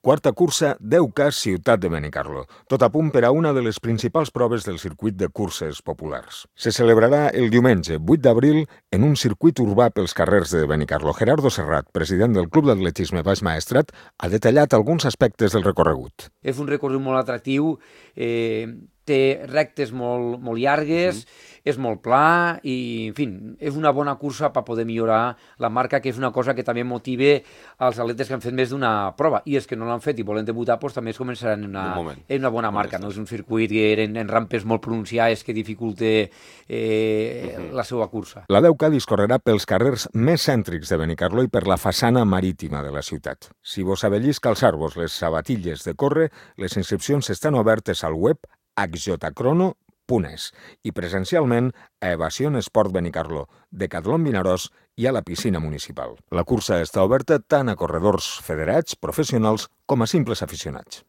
Quarta cursa 10K Ciutat de Benicarló, tot a punt per a una de les principals proves del circuit de curses populars. Se celebrarà el diumenge 8 d'abril en un circuit urbà pels carrers de Benicarló. Gerardo Serrat, president del Club d'Atletisme Baix Maestrat, ha detallat alguns aspectes del recorregut. És un recorregut molt atractiu, té rectes molt llargues, és molt pla i, en fi, és una bona cursa per poder millorar la marca, que és una cosa que també motiva els atletes que han fet més d'una prova. I els que no l'han fet i volen debutar, doncs també es començaran en una bona marca. No és un circuit que en rampes molt pronunciades que dificulte la seva cursa. La 10K discorrerà pels carrers més cèntrics de Benicarló i per la façana marítima de la ciutat. Si vos avellis calçar-vos les sabatilles de córrer, les inscripcions estan obertes al web hjcrono.es i presencialment a Evasion Esport Benicarló, Decatlon Vinaròs i a la piscina municipal. La cursa està oberta tant a corredors federats, professionals com a simples aficionats.